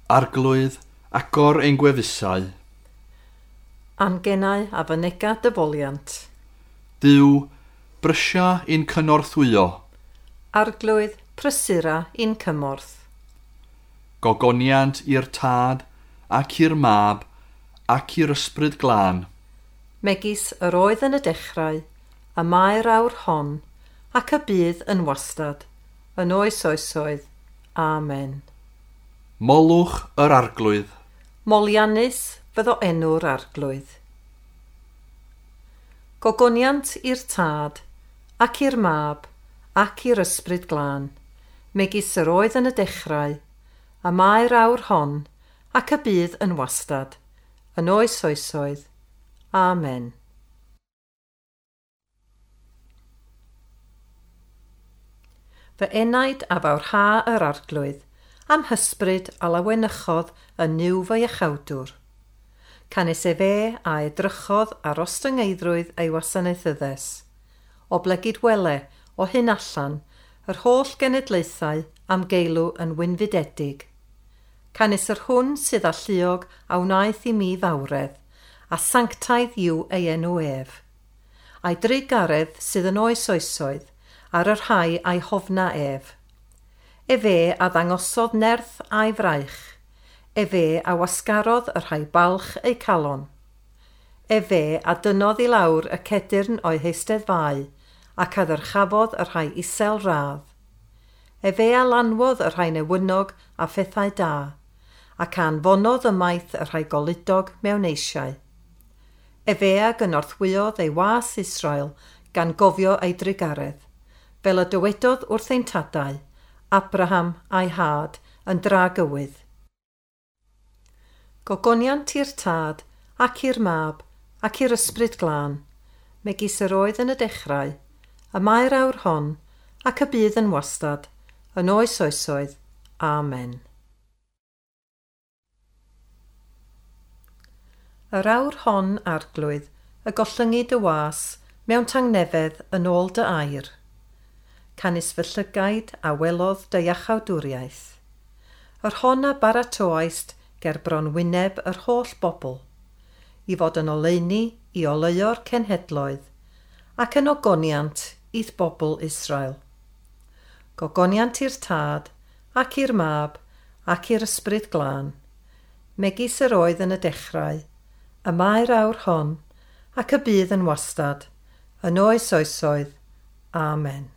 Arglwydd, agor ein gwefusau. A'n genau a fynega dy foliant. Duw, brysia i'n cynorthwyo. Arglwydd, prysura i'n cymorth. Gogoniant i'r Tad, ac i'r Mab, ac i'r Ysbryd Glân. Megis yr oedd yn y dechrau, y mae'r awr hon, ac y bydd yn wastad, yn oes oesoedd. Amen. Molwch yr Arglwydd. Moliannus fyddo enw'r Arglwydd. Gogoniant i'r Tad, ac i'r Mab, ac i'r Ysbryd Glân, megis yr oedd yn y dechrau, y mae'r awr hon, ac y bydd yn wastad, yn oes oesoedd. Amen. Fy enaid a fawrha yr Arglwydd, am hysbryd a lawenychodd yn Nuw fy iachawdwr. Canys efe a edrychodd ar ostyngeiddrwydd ei wasanaethyddes. Oblegid wele, o hyn allan, yr holl genedlaethau am geilw yn wynfydedig. Canys yr hwn sydd alluog a wnaeth i mi fawredd, a sanctaidd yw ei enw ef. A'i drugaredd sydd yn oes oesoedd, ar y rhai a'i hofna ef. Efe a ddangosodd nerth a'i fraich. Efe a wasgarodd y rhai balch eu calon. Efe a dynnodd i lawr y cedyrn o'i heisteddfau, ac a ddyrchafodd y rhai isel radd. Efe a lanwodd y rhai newynog a phethau da, ac a anfonodd ymaith y rhai goludog mewn eisiau. Efe a gynorthwyodd ei was Israel gan gofio ei drugaredd, fel y dywedodd wrth ein tadau, Abraham a'i had yn dragywydd. Gogoniant i'r Tad, ac i'r Mab, ac i'r Ysbryd Glân, megis yr oedd yn y dechrau, y mae'r awr hon, ac y bydd yn wastad, yn oes oesoedd. Amen. Yr awr hon, Arglwydd, y gollyngi dy was mewn tangnefedd yn ôl dy air. Canys fy llygaid a welodd dy iachawdwriaeth. Yr hon a baratoaist ger bron wyneb yr holl bobl, i fod yn oleuni i oleuo'r cenhedloedd, ac yn ogoniant i'th bobl Israel. Gogoniant i'r Tad, ac i'r Mab, ac i'r Ysbryd Glân, megis yr oedd yn y dechrau, y mae'r awr hon, ac y bydd yn wastad, yn oes oesoedd. Amen.